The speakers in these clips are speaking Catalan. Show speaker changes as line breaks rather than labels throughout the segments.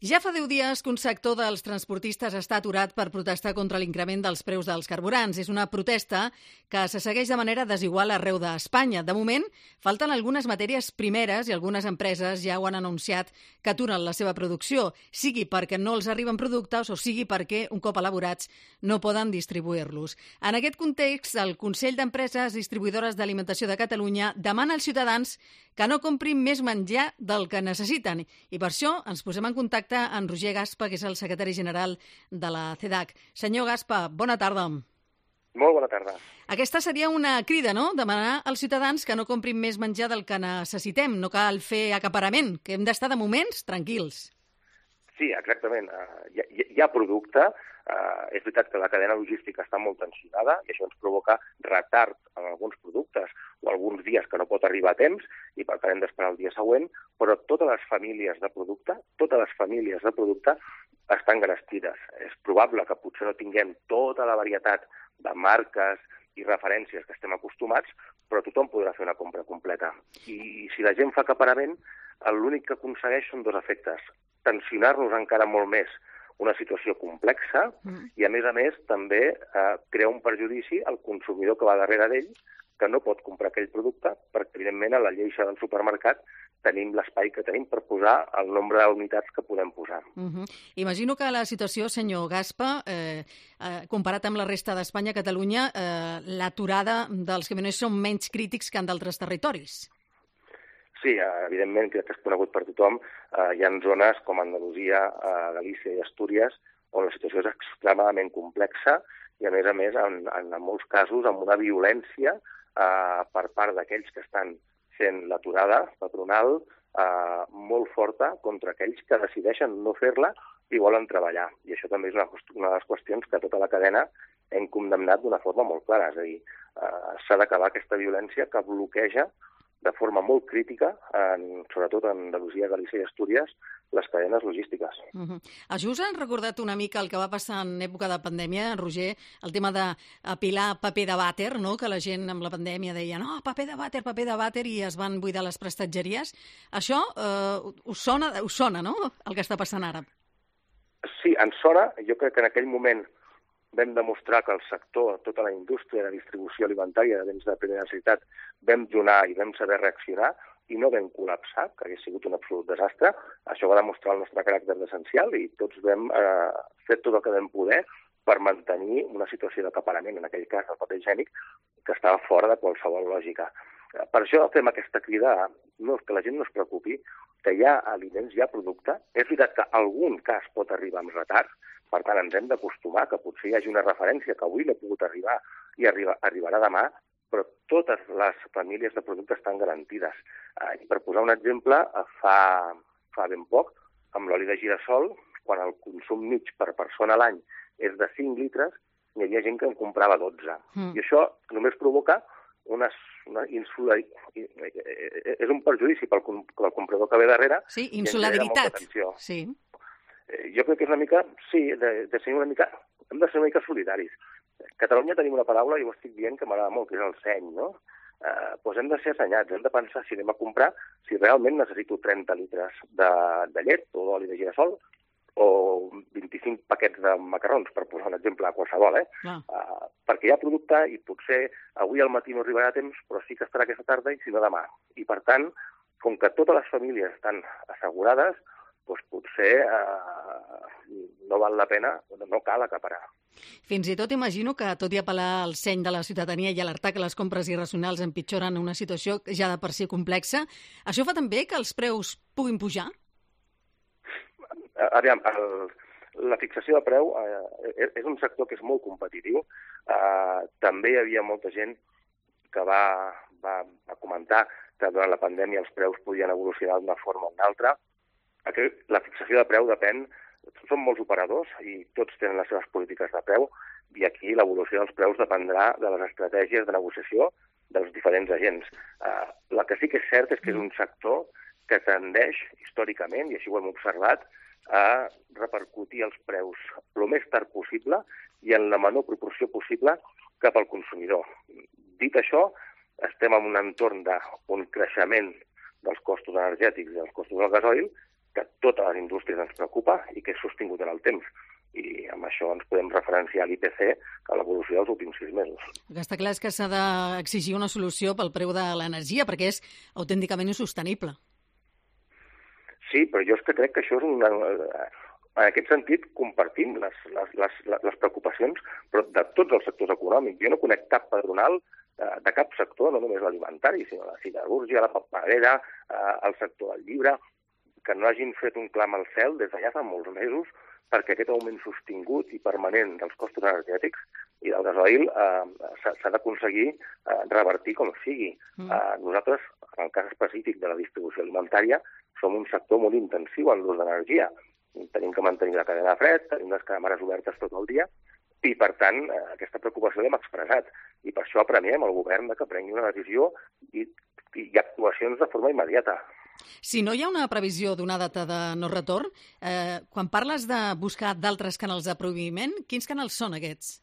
Ja fa 10 dies que un sector dels transportistes està aturat per protestar contra l'increment dels preus dels carburants. És una protesta que se segueix de manera desigual arreu d'Espanya. De moment, falten algunes matèries primeres i algunes empreses ja ho han anunciat que aturen la seva producció, sigui perquè no els arriben productes o sigui perquè, un cop elaborats, no poden distribuir-los. En aquest context, el Consell d'Empreses Distribuïdores d'Alimentació de Catalunya demana als ciutadans que no comprin més menjar del que necessiten. I per això ens posem en contacte amb Roger Gaspa, que és el secretari general de la CEDAC. Senyor Gaspa, bona tarda.
Molt bona tarda.
Aquesta seria una crida, no?, demanar als ciutadans que no comprin més menjar del que necessitem. No cal fer acaparament, que hem d'estar de moments tranquils.
Sí, exactament. Hi ha producte. És veritat que la cadena logística està molt tensionada i això ens provoca retard en alguns productes o alguns dies que no pot arribar a temps i per tant hem d'esperar el dia següent, però totes les famílies de producte estan garestides. És probable que potser no tinguem tota la varietat de marques i referències que estem acostumats, però tothom podrà fer una compra completa. I si la gent fa acaparament, l'únic que aconsegueix són dos efectes. Tensionar-nos encara molt més una situació complexa i, a més, també crea un perjudici al consumidor que va darrere d'ell, que no pot comprar aquell producte perquè, evidentment, a la lleixa del supermercat tenim l'espai que tenim per posar el nombre d'unitats que podem posar.
Imagino que la situació, senyor Gaspa, comparat amb la resta d'Espanya, Catalunya, l'aturada dels camioners són menys crítics que en d'altres territoris.
Sí, evidentment, crec que és conegut per tothom. Hi ha zones com Andalusia, Galícia i Astúries on la situació és extremadament complexa i, a més, en molts casos, amb una violència per part d'aquells que estan fent l'aturada patronal molt forta contra aquells que decideixen no fer-la i volen treballar. I això també és una de les qüestions que tota la cadena hem condemnat d'una forma molt clara. És a dir, s'ha d'acabar aquesta violència que bloqueja de forma molt crítica, sobretot en Andalusia, Galícia i Astúries, les cadenes logístiques.
Això us ha recordat una mica el que va passar en època de pandèmia, Roger, el tema d'apilar paper de vàter, no?, que la gent amb la pandèmia deia no, paper de vàter, i es van buidar les prestatgeries. Això us sona, no?, el que està passant ara?
Sí, ens sona. Jo crec que en aquell moment vam demostrar que el sector, tota la indústria de distribució alimentària de béns de primera necessitat, vam donar i vam saber reaccionar i no vam col·lapsar, que hauria sigut un absolut desastre. Això va demostrar el nostre caràcter d'essencial i tots vam fer tot el que vam poder per mantenir una situació d'acaparament, en aquell cas el paper higiènic, que estava fora de qualsevol lògica. Per això fem aquesta crida, que la gent no es preocupi, que hi ha aliments, hi ha producte. És veritat que algun cas pot arribar amb retard, per tant ens hem d'acostumar que potser hi hagi una referència que avui no ha pogut arribar i arribarà demà, però totes les famílies de producte estan garantides. I per posar un exemple, fa ben poc, amb l'oli de girassol, quan el consum mig per persona a l'any és de 5 litres, hi havia gent que en comprava 12. I això només provoca és un perjudici pel comprador que ve darrere.
Sí, insolidaritat. Sí.
Jo crec que és una mica, hem de ser una mica solidaris. A Catalunya tenim una paraula, i ho estic dient, que m'agrada molt, que és el seny, no? Doncs hem de ser assenyats, hem de pensar si anem a comprar, si realment necessito 30 litres de llet o d'oli de girassol o 25 paquets de macarrons, per posar un exemple qualsevol, perquè hi ha producte i potser avui al matí no arribarà a temps, però sí que estarà aquesta tarda i si no demà. I per tant, com que totes les famílies estan assegurades, doncs potser no val la pena, no cal acaparar.
Fins i tot imagino que, tot i apel·lar al seny de la ciutadania i alertar que les compres irracionals empitjoren una situació ja de per si complexa, això fa també que els preus puguin pujar?
Aviam, la fixació de preu és un sector que és molt competitiu. També hi havia molta gent que va comentar que durant la pandèmia els preus podien evolucionar d'una forma o una altra. La fixació de preu depèn, són molts operadors i tots tenen les seves polítiques de preu i aquí l'evolució dels preus dependrà de les estratègies de negociació dels diferents agents. El que sí que és cert és que és un sector que tendeix històricament, i així ho hem observat, a repercutir els preus el més tard possible i en la menor proporció possible cap al consumidor. Dit això, estem en un entorn d'un creixement dels costos energètics i dels costos del gasoil que totes les indústries ens preocupa i que és sostingut en el temps. I amb això ens podem referenciar a l'IPC, a l'evolució dels últims 6 mesos.
El que està clar és que s'ha d'exigir una solució pel preu de l'energia, perquè és autènticament insostenible.
Sí, però jo és que crec que això és una... En aquest sentit, compartim les preocupacions, però de tots els sectors econòmics. Jo no conec cap patronal de cap sector, no només l'alimentari, sinó la siderúrgia, la paperera, el sector del llibre, que no hagin fet un clam al cel des d'allà fa molts mesos perquè aquest augment sostingut i permanent dels costos energètics i del gasoil s'ha d'aconseguir revertir com sigui. Nosaltres, en el cas específic de la distribució alimentària, som un sector molt intensiu en l'ús d'energia. Tenim que mantenir la cadena de fred, tenim les càmeres obertes tot el dia, i, per tant, aquesta preocupació l'hem expressat. I per això apremiem el govern que prengui una decisió i actuacions de forma immediata.
Si no hi ha una previsió d'una data de no retorn, quan parles de buscar d'altres canals de proveïment, quins canals són aquests?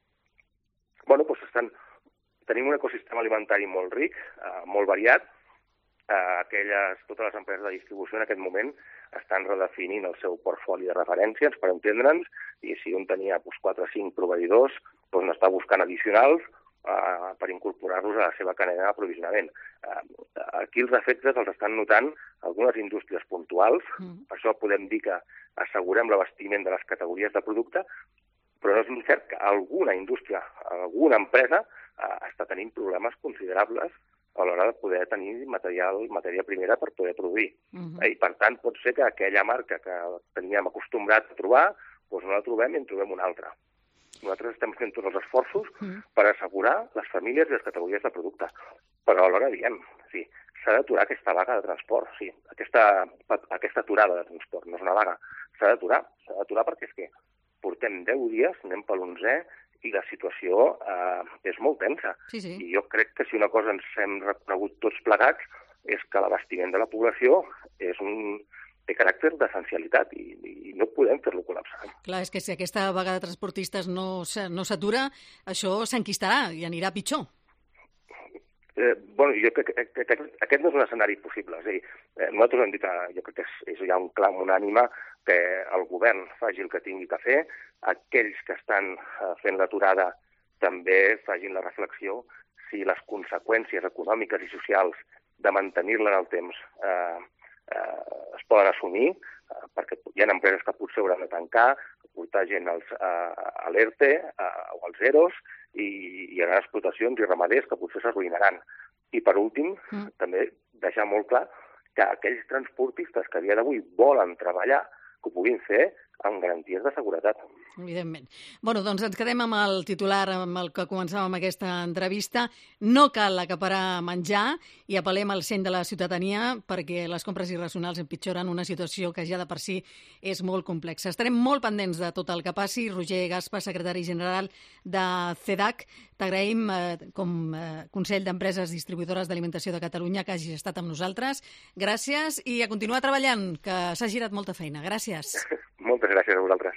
Bueno, doncs tenim un ecosistema alimentari molt ric, molt variat. Totes les empreses de distribució en aquest moment estan redefinint el seu portfoli de referències per entendre'ns, i si un tenia 4 o 5 proveïdors, n'està buscant addicionals per incorporar-los a la seva cadena d'aprovisionament. Aquí els efectes els estan notant algunes indústries puntuals, per això podem dir que assegurem l'abastiment de les categories de producte, però no és cert que alguna indústria, alguna empresa està tenint problemes considerables a l'hora de poder tenir matèria primera per poder produir. I, per tant, pot ser que aquella marca que teníem acostumbrat a trobar, no la trobem i en trobem una altra. Nosaltres estem fent tots els esforços per assegurar les famílies i les categories de producte. Però alhora diem, s'ha d'aturar aquesta vaga de transport, aquesta aturada de transport, no és una vaga, s'ha d'aturar perquè és que portem 10 dies, anem per l'11è, i la situació és molt tensa. I jo crec que si una cosa ens hem reconegut tots plegats és que l'abastiment de la població té caràcter d'essencialitat i no podem fer-lo col·lapsar.
Clar, és que si aquesta vaga de transportistes no s'atura, això s'enquistarà i anirà pitjor.
Jo crec que aquest no és un escenari possible. És a dir, nosaltres hem dit, jo crec que és ja un clam unànime que el govern faci el que tingui que fer, aquells que estan fent l'aturada també facin la reflexió si les conseqüències econòmiques i socials de mantenir-la en el temps es poden assumir, perquè hi ha empreses que potser hauran de tancar, portar gent a l'ERTE o als EROs, i hi haurà explotacions i ramaders que potser s'arruïnaran. I, per últim, també deixar molt clar que aquells transportistes que a dia d'avui volen treballar, que ho puguin fer amb garanties de seguretat.
Evidentment. Doncs ens quedem amb el titular amb el que començàvem aquesta entrevista. No cal acaparar menjar i apel·lem al seny de la ciutadania perquè les compres irracionals empitjoren una situació que ja de per si és molt complexa. Estarem molt pendents de tot el que passi. Roger Gaspa, secretari general de CEDAC, t'agraïm com Consell d'Empreses Distribuïdores d'Alimentació de Catalunya que hagis estat amb nosaltres. Gràcies i a continuar treballant, que s'ha girat molta feina. Gràcies.
Moltes gràcies a vosaltres.